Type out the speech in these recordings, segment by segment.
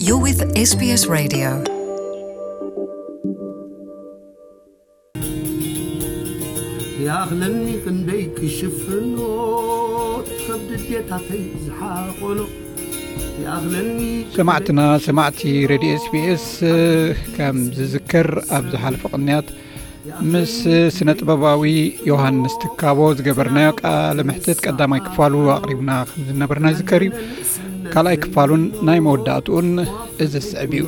You're with S B S Radio. ይኣኽለኒ ክንደይ ክሽፍኖ ሰብ ድዴታተይ ዝሓቆኖ ይኣኽለኒ። ሰማዕትና ሰማዕቲ ሬድዮ ኤስቢኤስ፣ ከም ዝዝከር ኣብ ዝሓለፈ ቅንያት ምስ ስነ ጥበባዊ ዮሃንስ ትካቦ ዝገበርናዮ ቃለ ምሕትት ቀዳማይ ክፋሉ ኣቕሪብና ከም ዝነበርና ይዝከር እዩ። ካልኣይ ክፋሉን ናይ መወዳእትኡን እዚ ዝስዕብ እዩ።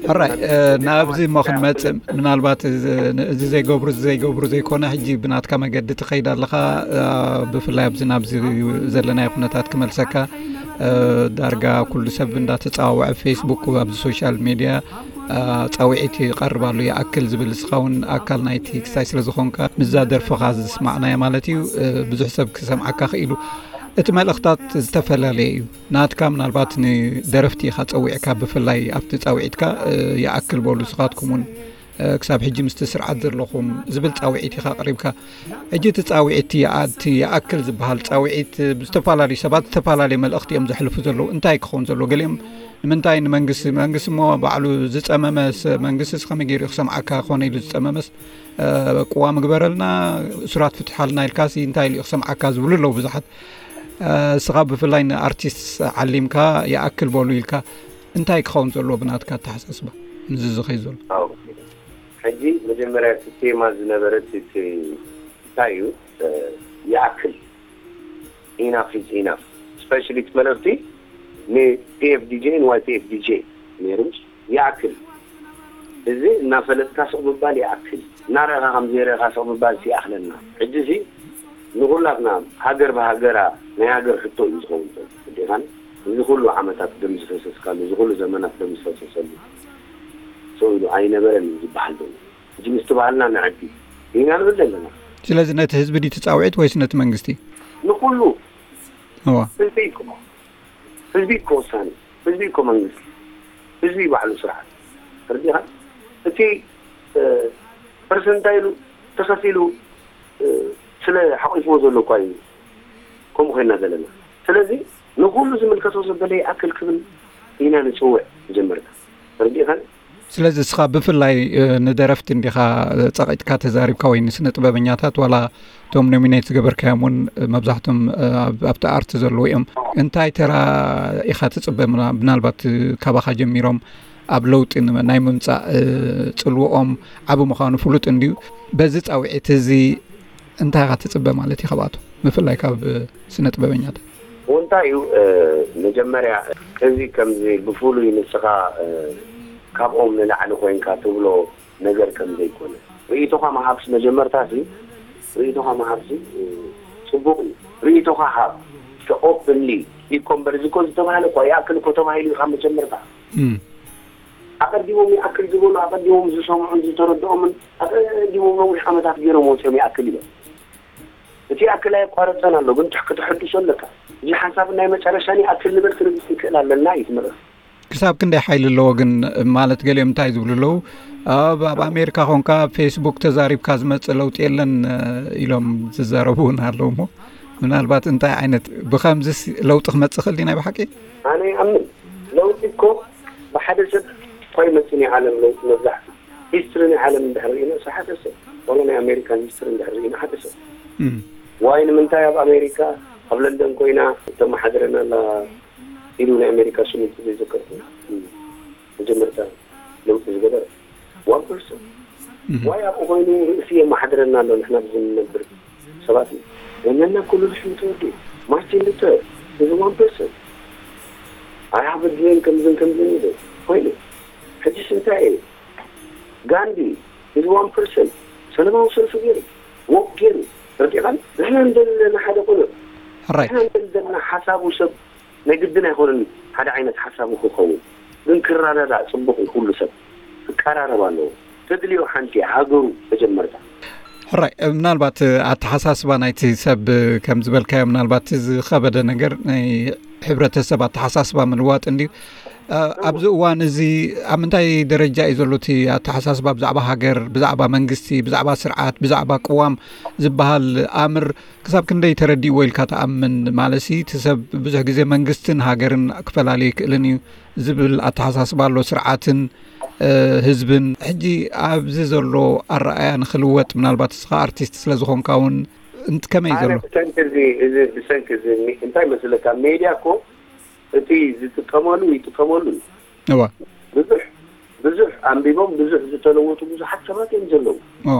ሕራይ፣ ናብዚ እሞ ክንመፅእ፣ ምናልባት እዚ ዘይገብሩ እዚ ዘይገብሩ ዘይኮነ፣ ሕጂ ብናትካ መገዲ ትኸይድ ኣለኻ። ብፍላይ ኣብዚ ናብዚ ዘለናዮ ኩነታት ክመልሰካ፣ ዳርጋ ኩሉ ሰብ እንዳተፃዋወዐ፣ ፌስቡክ፣ ኣብዚ ሶሻል ሚድያ ፃውዒት ይቐርብ ኣሎ። ይኣክል ዝብል፣ ንስኻ እውን ኣካል ናይቲ ክስታይ ስለ ዝኾንካ፣ ምስዛ ደርፍኻ ዝስማዕናያ ማለት እዩ፣ ብዙሕ ሰብ ክሰምዓካ ክኢሉ። እቲ መልእኽታት ዝተፈላለየ እዩ። ናትካ ምናልባት ንደረፍቲ ኢኻ ጸዊዕካ፣ ብፍላይ ኣብቲ ጻውዒትካ፣ ይኣክል በሉ፣ ንስኻትኩም እውን ክሳብ ሕጂ ምስቲ ስርዓት ዘለኹም ዝብል ጻውዒት ኢኻ ኣቕሪብካ። ሕጂ እቲ ጻውዒት፣ እቲ ይኣ-፣ እቲ ይኣክል ዝበሃል ጻውዒት፣ ብዝተፈላለዩ ሰባት ዝተፈላለየ መልእኽቲ እዮም ዘሕልፉ ዘለዉ። እንታይ ክኸውን ዘለዎ? ገሊኦም ንምንታይ ንመንግስቲ፣ መንግስቲ እሞ ባዕሉ ዝጸመመስ፣ መንግስቲ ከመይ ገይሩ ክሰምዓካ ኮነ ኢሉ ዝጸመመስ፣ ቅዋም ግበረልና፣ እሱራት ፍትሓልና ኢልካሲ እንታይ ኢሉ ክሰምዓካ ዝብሉ ኣለዉ ብዙሓት። እስኻ ብፍላይ ንኣርቲስት ዓሊምካ፣ ይኣክል በሉ ኢልካ፣ እንታይ ክኸውን ዘለዎ ብናትካ ኣተሓሳስባ? ምስዚ ዝኸይ ዘሎ። ሕጂ መጀመርያ እቲ ቴማ ዝነበረ እቲ እንታይ እዩ? ይኣክል፣ ኢናፍ ኢዝ ኢናፍ። ስፔሻሊ እቲ መልእኽቲ ን ፒኤፍዲጄ ን ዋይፒኤፍዲጄ ነይሩ። ይኣክል፣ እዚ እናፈለጥካ ስቕ ምባል ይኣክል፣ እናረእኻ ከም ዘይረእኻ ስቕ ምባል ይኣኽለና። ሕጂ እዚ ንኹላትና ሃገር ብሃገራ ናይ ሃገር ሕቶ እዩ ዝኸውን ዘሎ። ግዴታን እዚ ኩሉ ዓመታት ደም ዝፈሰስካሉ፣ እዚ ኩሉ ዘመናት ደም ዝፈሰሰሉ ሰው ኢሉ ኣይነበረን እዩ ዝበሃል ዘሎ። ሕጂ ምስቲ ባህልና ንዕቢ ኢና ንብል ዘለና። ስለዚ ነቲ ህዝቢ ድዩ ትጻውዒት ወይስ ነቲ መንግስቲ? ንኹሉ። እዋ። ህዝቢ እኮ፣ ህዝቢ እኮ ወሳኒ፣ ህዝቢ እኮ መንግስቲ፣ ህዝቢ ባዕሉ ስርዓት። ተረዲኻ? እቲ ፐርሰንት እንታይ ኢሉ ተኸፊሉ ስለ ሓቂፍዎ ዘሎ እኳ እዩ ከምኡ ኮይና ዘለና። ስለዚ ንኹሉ ዝምልከቶ ዘበለ ይኣክል ክብል ኢና ንፅውዕ። መጀመርታ ተረዲእኻ? ስለዚ እስኻ ብፍላይ ንደረፍቲ እንዲኻ ጸቒጥካ ተዛሪብካ፣ ወይ ንስነ ጥበበኛታት፣ ዋላ እቶም ኖሚኔት ዝገበርካዮም እውን መብዛሕቶም ኣብቲ ኣርት ዘለዉ እዮም። እንታይ ተራ ኢኻ ትጽበ? ምናልባት ካባኻ ጀሚሮም ኣብ ለውጢ ናይ ምምጻእ ጽልውኦም ዓቢ ምዃኑ ፍሉጥ እንድዩ። በዚ ጻውዒት እዚ እንታይ ኢኻ ትጽበ ማለት እዩ ካብኣቶም፣ ብፍላይ ካብ ስነ ጥበበኛታት? እንታይ እዩ መጀመርያ እዚ ከምዚ ብፍሉይ ንስኻ ካብኦም ንላዕሊ ኮይንካ ትብሎ ነገር ከም ዘይኮነ ርእይቶኻ ምሃብስ፣ መጀመርታ ሲ ርእይቶኻ ምሃብሲ ጽቡቕ እዩ። ርእይቶኻ ሃብ ኦፕንሊ። ይኮምበር እዚ እኮ ዝተባህለ እኳ ይኣክል እኮ ተባሂሉ እዩ ካብ መጀመርታ። ኣቐዲሞም ይኣክል ዝበሉ፣ ኣቐዲሞም ዝሰምዑን ዝተረድኦምን ኣቐዲሞም ነዊሕ ዓመታት ገይሮም ወፂኦም ይኣክል እዮም። እቲ ይኣክል ኣየቋረፀን ኣሎ፣ ግን ትሕ- ክተሐድሶ ኣለካ። እዚ ሓሳብ ናይ መጨረሻን ይኣክል ንበል ክንብል ክንክእል ኣለና እዩ ትምህርቲ። ክሳብ ክንደይ ሓይሊ ኣለዎ ግን? ማለት ገሊኦም እንታይ ዝብሉ ኣለዉ፣ ኣብ ኣብ ኣሜሪካ ኾንካ ፌስቡክ ተዛሪብካ ዝመፅእ ለውጢ የለን ኢሎም ዝዛረቡ እውን ኣለዉ። እሞ ምናልባት እንታይ ዓይነት ብከምዚስ ለውጢ ክመፅእ ክእል ድዩ ናይ ብሓቂ? ኣነ ይኣምን ለውጢ እኮ ብሓደ ሰብ እኳ ይመፅእ ናይ ዓለም ለውጢ። መብዛሕትኡ ሂስትሪ ናይ ዓለም እንድሕር ርኢና ስ ሓደ ሰብ ዋላ ናይ ኣሜሪካን ሂስትሪ እንድሕር ርኢና ሓደ ሰብ ዋይ ንምንታይ ኣብ ኣሜሪካ ኣብ ለንደን ኮይና ተመሓድረና ኣላ ኢሉ ናይ ኣሜሪካ ሽሙ ዘይዘከርኩ መጀመርታ ለውጢ ዝገበረ ዋን ፐርሰን ዋይ ኣብኡ ኮይኑ ርእሲ የመሓድረና ኣሎ። ንሕና ብዝንነብር ሰባት እዩ ወነና ኩሉ ልሕም ተወዲኡ ማርቲን ሉተር እዚ ዋን ፐርሰን ኣይ ሃቭ ድሪም ከምዝን ከምዝን ኢሉ ኮይኑ ሕጂስ እንታይ እዩ? ጋንዲ እዚ ዋን ፐርሰን ሰለማዊ ሰልፊ ገይሩ ወቅ ገይሩ ረዲኻን ንሕና እንደለና ሓደ ቁኑዕ ሕራይ ንሕና እንደለና ሓሳቡ ሰብ ናይ ግድን ኣይኮነን ሓደ ዓይነት ሓሳቡ ክኸውን ግን ክረዳዳእ ፅቡቕ እዩ። ኩሉ ሰብ ክቀራረብ ኣለዎ። ተድልዮ ሓንቲ ሃገሩ መጀመርታ ሕራይ ምናልባት ኣተሓሳስባ ናይቲ ሰብ ከም ዝበልካዮ ምናልባት ዝኸበደ ነገር ናይ ሕብረተሰብ ኣተሓሳስባ ምልዋጥ እንድዩ። ኣብዚ እዋን እዚ ኣብ ምንታይ ደረጃ እዩ ዘሎ እቲ ኣተሓሳስባ ብዛዕባ ሃገር፣ ብዛዕባ መንግስቲ፣ ብዛዕባ ስርዓት፣ ብዛዕባ ቅዋም ዝበሃል ኣምር ክሳብ ክንደይ ተረዲእዎ ኢልካ ትኣምን? ማለትሲ እቲ ሰብ ብዙሕ ግዜ መንግስትን ሃገርን ክፈላለ ይክእልን እዩ ዝብል ኣተሓሳስባ ኣሎ፣ ስርዓትን ህዝብን። ሕጂ ኣብዚ ዘሎ ኣረኣያ ንክልወጥ ምናልባት እስኻ ኣርቲስት ስለ ዝኾንካ እውን እንት ከመይ ዘሎ? ብሰንኪ እዚ እንታይ መስለካ፣ ሜድያ እኮ እቲ ዝጥቀመሉ ይጥቀመሉ እዩ። እዋ ብዙሕ ብዙሕ ኣንቢቦም ብዙሕ ዝተለወጡ ብዙሓት ሰባት እዮም ዘለዉ። እዋ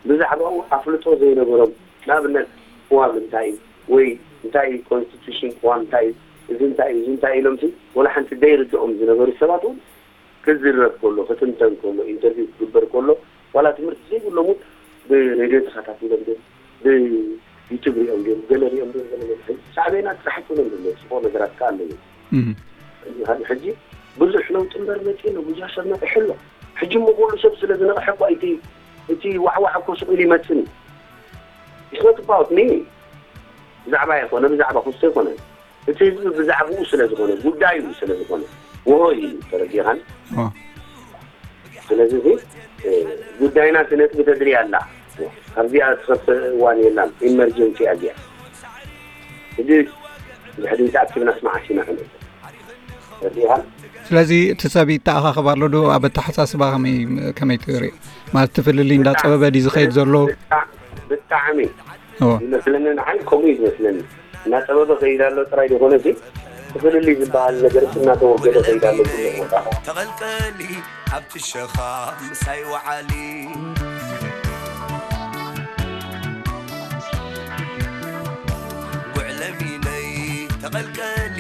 ብዛዕባኡ ኣፍልጦ ዘይነበሮም፣ ንኣብነት ቅዋም እንታይ እዩ ወይ እንታይ እዩ ኮንስቲቱሽን፣ ቅዋም እንታይ እዩ፣ እዚ እንታይ እዩ፣ እዚ እንታይ እዩ ኢሎም ሲ ወላ ሓንቲ ዘይርድኦም ዝነበሩ ሰባት እውን ክዝረብ ከሎ፣ ክትንተን ከሎ፣ ኢንተርቪው ክግበር ከሎ ዋላ ትምህርቲ ዘይብሎም እውን ብሬድዮ ተኸታቲሎም ድዮም ብዩቱብ ሪኦም ድዮም ገለ ሪኦም ድዮም ገለ መፅሓፍ ሳዕቤናት ጥራሕ ኣይኮነን ዘሎ፣ ፅቡቕ ነገራት ከዓ ኣለዎ። ሕጂ ብዙሕ ለውጢ እምበር መፂኡ ኣሎ፣ ብዙሕ ሰብ ነቂሑ ኣሎ። ሕጂ እሞ ኩሉ ሰብ ስለ ዝነቕሐ እኮ እቲ እቲ ዋዕዋዕ እኮ ስቕ ኢሉ ይመፅን እዩ። It's not about me። ብዛዕባ ይኮነ ብዛዕባ ክስቶ ይኮነ እቲ ህዝቢ ብዛዕባኡ ስለ ዝኾነ ጉዳዩ ስለ ዝኾነ ወሆ እዩ ተረዲኻን። ስለዚ እዚ ጉዳይና እቲ ነጥቢ ተድሪ ኣላ። ኣብዚኣ ትኸፍእ እዋን የላን። ኢመርጀንሲ ኣዚያ እዚ ድሕሪ ተኣኪብና ስማዓሲና ክንእል ተረዲኻን። ስለዚ እቲ ሰብ ይተኣኻኸብ ኣሎ ዶ? ኣብ ኣተሓሳስባ ከመይ ከመይ ትሪኦ? ማለት እቲ ፍልልይ እንዳጸበበ ድዩ ዝኸይድ ዘሎ? ብጣዕሚ ይመስለኒ ንዓይ ከምኡ እዩ ዝመስለኒ። እናጸበበ ከይድ ኣሎ ጥራይ ዘይኮነሲ እቲ ፍልልይ ዝበሃል ነገር እናተወገደ ከይድ ኣሎ ኩሉ ቦታ። ተቐልቀሊ ኣብቲ ሸኻ ምሳይ ወዓሊ። ጉዕለሚነይ ተቐልቀሊ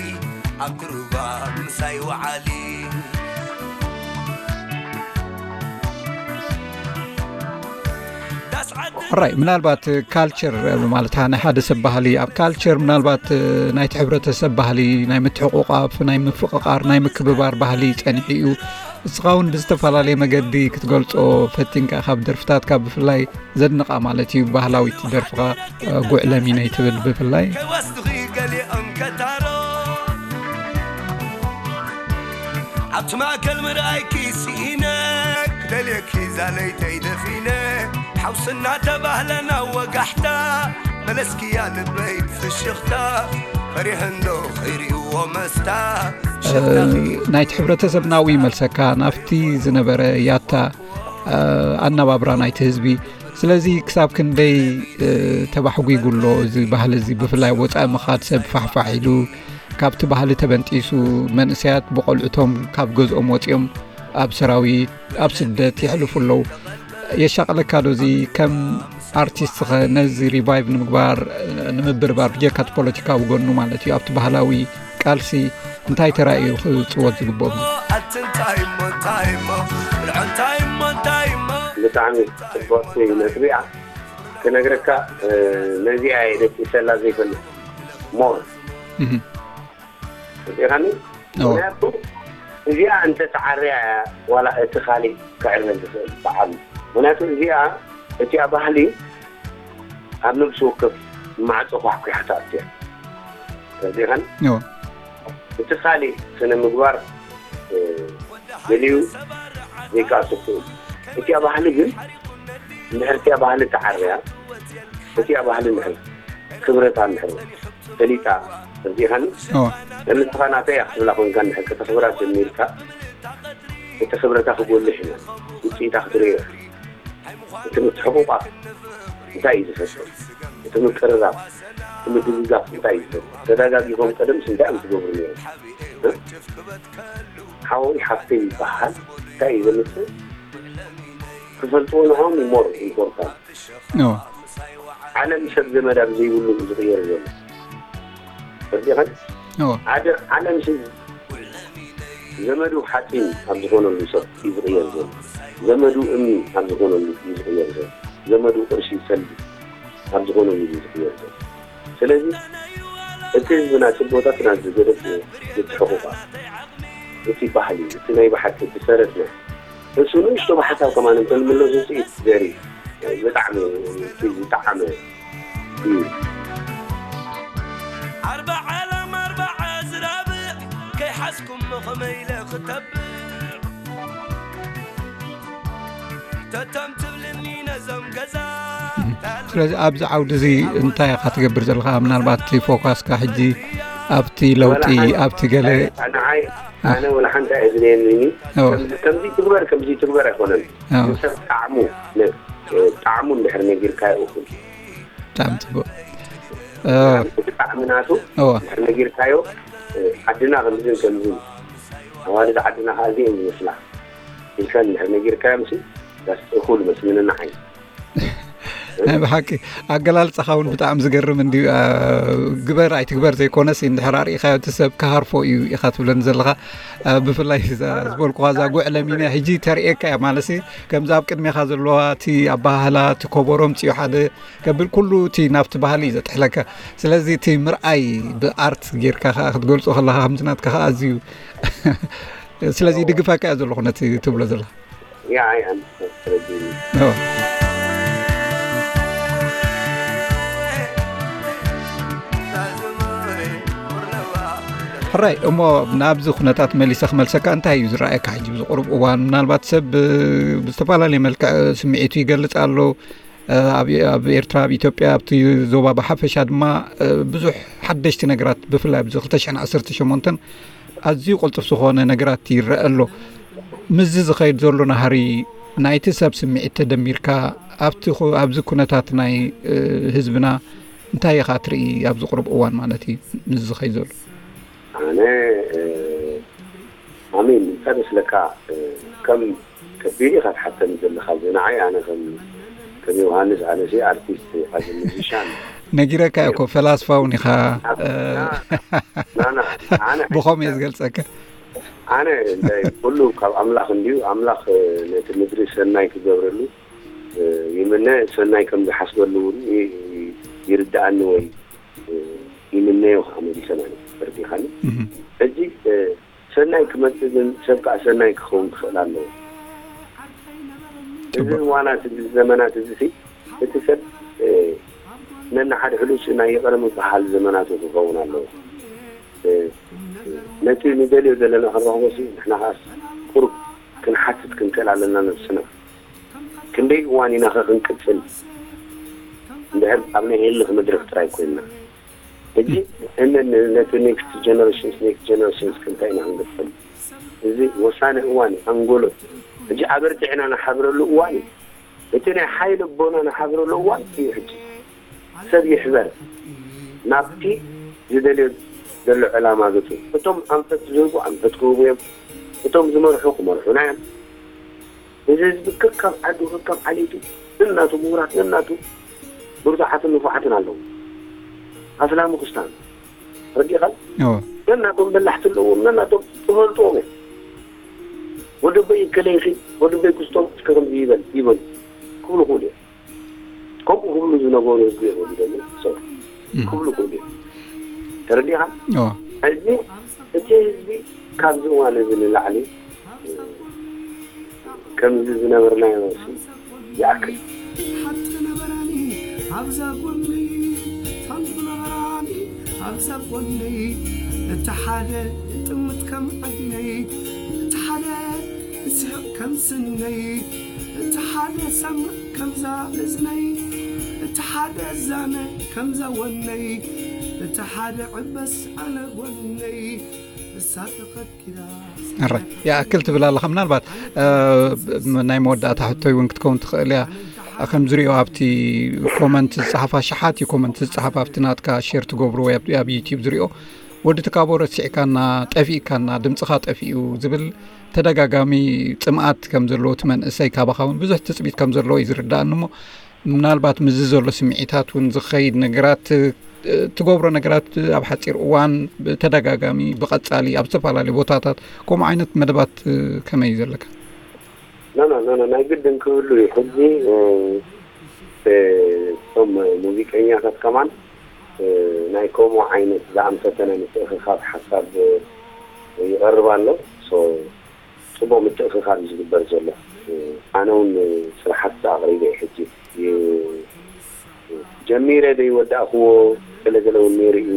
ኣብ ክሩባ ምሳይ ወዓሊ። ራይ ምናልባት ካልቸር ማለት ናይ ሓደ ሰብ ባህሊ ኣብ ካልቸር ምናልባት ናይቲ ሕብረተሰብ ባህሊ ናይ ምትሕቁቃፍ ናይ ምፍቅቃር ናይ ምክብባር ባህሊ ጸኒሑ እዩ። እስኻ እውን ብዝተፈላለየ መገዲ ክትገልጾ ፈቲንካ ካብ ደርፍታትካ ብፍላይ ዘድንቓ ማለት እዩ ባህላዊት ደርፍኻ ጉዕለሚነይ ትብል ብፍላይ ከይወስድኺ ገሊኦም ከታሮ ኣብቲ ማእከል ምርኣይኪ ስኢነ ክደልየኪ ዛለይተይ ደፊነ ሓውስና ተባህለና ወጋሕታ መለስኪያ ልበይ ብፍሽኽታ ፈሪሐ እንዶ ከይርእዎ መስታ ናይቲ ሕብረተሰብ ናብኡ ይመልሰካ ናብቲ ዝነበረ ያታ ኣነባብራ ናይቲ ህዝቢ። ስለዚ ክሳብ ክንደይ ተባሕጒጉ ኣሎ እዚ ባህሊ እዚ፣ ብፍላይ ወጻኢ ምኻድ ሰብ ፋሕፋሕ ኢሉ፣ ካብቲ ባህሊ ተበንጢሱ፣ መንእሰያት ብቖልዑቶም ካብ ገዝኦም ወጺኦም ኣብ ሰራዊት፣ ኣብ ስደት የሕልፉ ኣለዉ። የሻቕለካ ዶ እዚ ከም ኣርቲስት ኸ ነዚ ሪቫይቭ ንምግባር ንምብርባር ብጀካ እቲ ፖለቲካዊ ጎኑ ማለት እዩ ኣብቲ ባህላዊ ቃልሲ እንታይ ተራ እዩ ክፅወት ዝግብኦ? ብጣዕሚ ፅቡቅቲ ነጥቢ እያ ክነግረካ ነዚኣ እየ ደቂሰላ ዘይፈልጥ ሞር ርኢኻኒ ምክንያቱ እዚኣ እንተተዓርያ እያ ዋላ እቲ ካሊእ ክዕረ ዝኽእል በዓል ምክንያቱ እዚኣ እቲኣ ባህሊ ኣብ ነብሲ ወከፍ ማዕፆ ኳሕኲሓ ትኣቱ እያ ተረዲእኻኒ እቲ ካሊእ ስነ ምግባር ገሊኡ ዘይከኣሱ ክእል እቲኣ ባህሊ ግን እንድሕር እቲኣ ባህሊ ተዓርያ እቲኣ ባህሊ እንድሕር ክብረታ እንድሕር ፈሊጣ ተረዲእኻኒ ንስኻ ናተይ እያ ክትብላ ኮንካ እንድሕር ከተኽብራ ጀሚርካ እቲ ክብረታ ክጎልሕ እዩ ውፅኢታ ክትርእዮ እቲ ምትሕቑቋፍ እንታይ እዩ ዝፈጥር እቲ ምቅርራብ እቲ ምድግጋፍ እንታይ እዩ ዝፈጥር ተዳጋጊፎም ቀደምስ እንታይ እዮም ዝገብሩ ነይሮም ሓወይ ሓፍተይ ይበሃል እንታይ እዩ ዘምፅእ ክፈልጥዎ ንዖም more important ዓለም ሰብ ዘመድ ኣብ ዘይብሉ እዩ ዝቕየር ዘሎ ተረዲእኻኒ ዓለም ሰብ ዘመዱ ሓፂን ኣብ ዝኾነሉ ሰብ እዩ ዝቕየር ዘሎ ዘመዱ እምኒ ኣብ ዝኾነሉ እዩ ዝቕየር ዘሎ ዘመዱ ቅርሺ ሰልዲ ኣብ ዝኾነሉ እዩ ዝቕየር ዘሎ ስለዚ እቲ ህዝብና ፅቦታትና ዝገደፍ ምትሕቑቋ እቲ ባህሊ እቲ ናይ ብሓቂ እቲ ሰረትና እሱ ንእሽቶ ብሓሳብ ከማን እንተንምለስ ውፅኢት ዘርኢ ብጣዕሚ ዝጠዓመ እዩ ኣርባዓ ሎም ኣርባዓ ዝራብዕ ኣስኩም ከመይ ኢለ ክተብዕ? ተቶም ትብልኒ ነዞም ገዛ። ስለዚ ኣብዚ ዓውዲ እዚ እንታይ ኢኻ ትገብር ዘለኻ? ምናልባት እቲ ፎካስካ ሕጂ ኣብቲ ለውጢ፣ ኣብቲ ገለ ንዓይ ኣነ ወላ ሓንቲ ኣይድልየኒ። ከምዚ ትግበር፣ ከምዚ ትግበር ኣይኮነን። ንሰብ ጣዕሙ፣ ጣዕሙ እንድሕር ነጊርካዮ እኹል። ብጣዕሚ ጽቡቅ። እቲ ጣዕሚ ናቱ እንድሕር ነጊርካዮ፣ ዓድና ከምዝን ከምዝን፣ ኣዋልድ ዓድና ከዓ እዚኦም ዝመስላ ኢልካ እንድሕር ነጊርካዮም ሲ፣ ዳስ እኹል መስልኒ ንዓይ። ናይ ብሓቂ ኣገላልጻኻ እውን ብጣዕሚ ዝገርም እንድዩ። ግበር ኣይትግበር ዘይኮነስ፣ እንድሕር ኣርኢኻዮ እቲ ሰብ ክሃርፎ እዩ ኢኻ ትብለኒ ዘለኻ። ብፍላይ እዛ ዝበልኩኻ እዛ ጉዕ ለሚንያ ሕጂ ተርእየካ እያ። ማለትሲ ከምዚ ኣብ ቅድሜኻ ዘለዋ እቲ ኣበሃህላ፣ እቲ ኮቦሮ ምጽኡ ሓደ ከብል፣ ኩሉ እቲ ናብቲ ባህሊ እዩ ዘጥሕለካ። ስለዚ እቲ ምርኣይ ብኣርት ጌርካ ከኣ ክትገልጾ ከለኻ ከምዚ ናትካ ከኣ ኣዝዩ ስለዚ ይድግፈካ እየ ዘለኹ ነቲ ትብሎ ዘለኻ። ሕራይ እሞ፣ ናብዚ ኩነታት መሊሰ ክመልሰካ፣ እንታይ እዩ ዝረኣየካ ሕጂ ብዚ ቁሩብ እዋን? ምናልባት ሰብ ብዝተፈላለየ መልክዕ ስምዒቱ ይገልጽ ኣሎ። ኣብ ኤርትራ፣ ኣብ ኢትዮጵያ፣ ኣብቲ ዞባ ብሓፈሻ ድማ ብዙሕ ሓደሽቲ ነገራት፣ ብፍላይ ኣብዚ ክልተ ሽሕን ዓሰርተ ሸሞንተን ኣዝዩ ቅልጡፍ ዝኾነ ነገራት ይረአ ኣሎ። ምስዚ ዝኸይድ ዘሎ ናህሪ፣ ናይቲ ሰብ ስምዒት ተደሚርካ፣ ኣብቲ ኣብዚ ኩነታት ናይ ህዝብና እንታይ ኢኻ ትርኢ ኣብዚ ቁሩብ እዋን ማለት እዩ? ምስዚ ዝኸይድ ዘሎ ኣነ ኣሜን እንታይ መስለካ፣ ከም ከቢድ ኢኻ ትሓተኒ ዘለኻ። እዚ ንዓይ ኣነ ከም ከም ዮሃንስ ኣነሲ ኣርቲስት ኢኻ፣ እዚ ሙዚሻን ነጊረካ እኮ፣ ፈላስፋ እውን ኢኻ። ብኸም እየ ዝገልጸካ። ኣነ እንታይ ኩሉ ካብ ኣምላኽ እንድዩ። ኣምላኽ ነቲ ምድሪ ሰናይ ክገብረሉ ይምነ፣ ሰናይ ከም ዝሓስበሉ እውን ይርድኣኒ ወይ ይምነዮ ከዓ መሊሰ ማለት እዩ። ተረዲኻኒ? ሕጂ ሰናይ ክመፅእ ግን ሰብ ከዓ ሰናይ ክኸውን ክኽእል ኣለዎ። እዚ እዋናት እዚ ዘመናት እዚ ሲ እቲ ሰብ ነንሓድሕዱ ሲ ናይ ይቕረ ምብሃል ዘመናቱ ክኸውን ኣለዎ። ነቲ ንደልዮ ዘለና ክንረኽቦ ሲ ንሕና ከዓ ቁሩብ ክንሓትት ክንክእል ኣለና ነብስና። ክንደይ እዋን ኢና ኸ ክንቅጽል? እንድሕር ኣብ ናይ ህልኽ መድረኽ ጥራይ ኮይንና። ሕጂ እነ ነቲ ኔክስት ጀነሬሽንስ ኔክስት ጀነሬሽንስ ክንታይ ኢና ክንገጥም? እዚ ወሳኒ እዋን እዩ። ኣንጎሎ ሕጂ ኣበርቲዕና ንሓብረሉ እዋን እዩ። እቲ ናይ ሓይሊ ኣቦና ንሓብረሉ እዋን እዩ ሕጂ። ሰብ ይሕበር ናብቲ ዝደልዮ ዘሎ ዕላማ ገጹ። እቶም ኣንፈት ዝህቡ ኣንፈት ክህቡ እዮም። እቶም ዝመርሑ ክመርሑና እዮም። እዚ ህዝቢ ከካብ ዓዱ ከካብ ዓሌቱ ነናቱ ምሁራት ነናቱ ብርቱዓትን ንፉዓትን ኣለዉ። ኣስላም ክስታን ረዲኻል ነናቶም በላሕቲ ኣለዎም ነናቶም ትፈልጥዎም እዮም። ወደበይ ከለይኺ ወደበይ ክስቶም እስከ ከምዚ ይበል ይበሉ ክብሉ ክብሉ እዮም። ከምኡ ክብሉ ዝነበሩ ህዝቢ እዮም ደሞ ሰብ ክብሉ ክብሉ እዮም። ተረዲኻ? ሕዚ እቲ ህዝቢ ካብዚ እዋን እዚ ንላዕሊ ከምዚ ዝነበርናዮ ሲ ይኣክል። ሓንቲ ነበራኒ ኣብዛ ጎነይ ሓንቲ ነበራኒ ኣብዛ ጎነይ እቲ ሓደ ጥምት ከም ዓይነይ እቲ ሓደ ስሕቕ ከም ስነይ እቲ ሓደ ሰምዕ ከምዛ እዝነይ እቲ ሓደ ዛነ ከምዛ ወነይ እቲ ሓደ ዕበስ ኣነ ጎነይ እሳ ተኸኪላ ኣረ ይኣክል ትብል ኣለኻ። ምናልባት ናይ መወዳእታ ሕቶይ እውን ክትከውን ትኽእል እያ። ከም ዝሪኦ ኣብቲ ኮመንት ዝፀሓፋ ሽሓት እዩ ኮመንት ዝፀሓፍ ኣብቲ ናትካ ሼር ትገብሩ ወይ ኣብ ዩቲዩብ ዝሪኦ ወዲ ትካቦ ረሲዕካና ጠፊእካና ድምፅኻ ጠፊኡ ዝብል ተደጋጋሚ ፅምኣት ከም ዘለዎ እቲ መንእሰይ ካባኻ እውን ብዙሕ ትፅቢት ከም ዘለዎ እዩ ዝርዳእኒ እሞ ምናልባት ምስዚ ዘሎ ስምዒታት እውን ዝኸይድ ነገራት ትገብሮ ነገራት ኣብ ሓፂር እዋን ብተደጋጋሚ ብቐፃሊ ኣብ ዝተፈላለዩ ቦታታት ከምኡ ዓይነት መደባት ከመይ እዩ ዘለካ? ኖ ኖ ኖ ናይ ግድን ክህሉ እዩ። ሕዚ እቶም ሙዚቀኛታት ከማን ናይ ከምኡ ዓይነት ዝኣምሰተነ ምትእኽኻብ ሓሳብ ይቐርብ ኣሎ። ጽቡቕ ምትእኽኻብ እዩ ዝግበር ዘሎ። ኣነ እውን ስራሓት ኣቕሪበ እየ ሕጂ ጀሚረ ዘይወዳእክዎ ገለገለ እውን ነይሩ እዩ።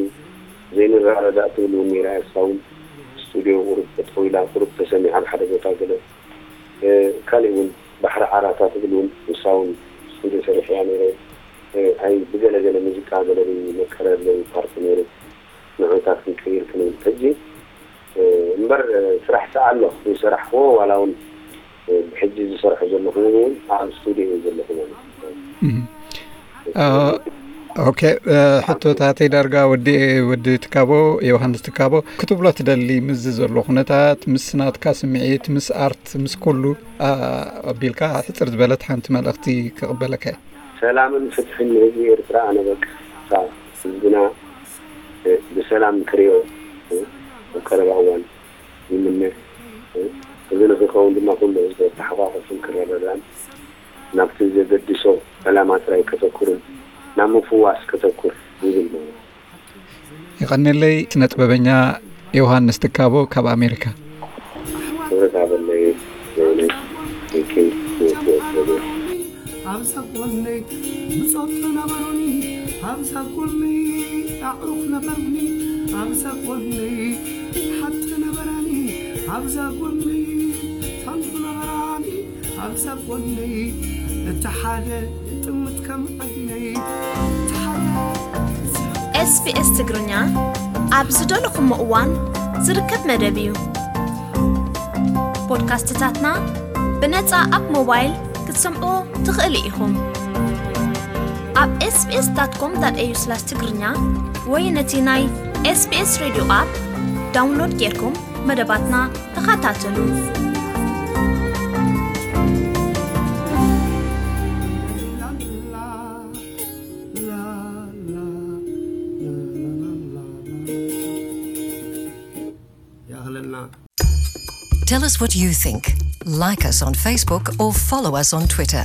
ዘይንረዳዳእ ትብል እውን ነይራ እያ እሳ እውን። እሱ ስቱድዮ ቁሩብ ጠጠው ኢላ፣ ቁሩብ ተሰሚዓ ኣብ ሓደ ቦታ ገለ። እ፣ ካሊእ እውን ባሕሪ ዓራታ ትብል እውን ንሳ እውን ስቱድዮ ሰሪሐያ ነይረ። እ፣ ኣይ ብገለ ገለ ሙዚቃ ገለ መቀረለይ ፓርቲ ነይሩ። ንዑታት ክንቀይር ክንብል ሕጂ፣ እ፣ እምበር፣ እ፣ ስራሕ ሰኣሎ ዝሰራሕክዎ ዋላ እውን፣ እ፣ ብሕጂ ዝሰርሖ ዘለኹ እውን ኣብ ስቱድዮ እዩ ዘለኹ ማለት እዩ። እም። አ፣ ኦኬ፣ እ፣ ሕቶታተይ ዳርጋ ወዲ፣ ወዲ ትካቦ፣ ዮሃንስ ትካቦ፣ ክትብሎ ትደሊ ምስዚ ዘሎ ኩነታት፣ ምስ ናትካ ስምዒት፣ ምስ ኣርት፣ ምስ ኩሉ፣ አ፣ ኣቢልካ ሕጽር ዝበለት ሓንቲ መልእኽቲ ክቕበለካ እየ። ሰላምን ፍትሕን ንህዝቢ ኤርትራ። ኣነ በቃ ህዝብና፣ እ፣ ብሰላም ክሪኦ፣ እ፣ ኣብ ቀረባ እዋን ይምነ። እ፣ እዚ ንክኸውን ድማ ኩሉ ህዝቢ ተሓቋቁፉን ክረዳዳን ናብቲ ዘገድሶ ዕላማ ጥራይ ከተኩርን ናብ ምፍዋስ ከተኩር ይብል ማለት እዩ። የቐንየለይ ስነ ጥበበኛ ዮሃንስ ትካቦ ካብ ኣሜሪካ። ክብረት ሃበለይ። በእውነት ቴንኪው። ኣብዛ ጎነይ ብጾት ነበሩኒ፣ ኣብዛ ጎነይ ኣዕሩኽ ነበሩኒ፣ ኣብዛ ጎነይ ሓቲ ነበራኒ፣ ኣብዛ ጎነይ ታንኩ ነበራኒ፣ ኣብዛ ጎነይ እቲ ሓደ ጥምት ከም ዓይነይ፣ እቲ ሓደ ኤስቢኤስ ትግርኛ ኣብ ዝደለኹሞ እዋን ዝርከብ መደብ እዩ። ፖድካስትታትና ብነጻ ኣብ ሞባይል ክትሰምዑ ትኽእሉ ኢኹም። ኣብ ኤስቢኤስ ዳት ኮም ዳት ኤዩ ስላሽ ትግርኛ ወይ ነቲ ናይ ኤስቢኤስ ሬድዮ ኣፕ ዳውንሎድ ጌርኩም መደባትና ተኸታተሉ። ያኽለልና። Tell us what you think. Like us on Facebook or follow us on Twitter.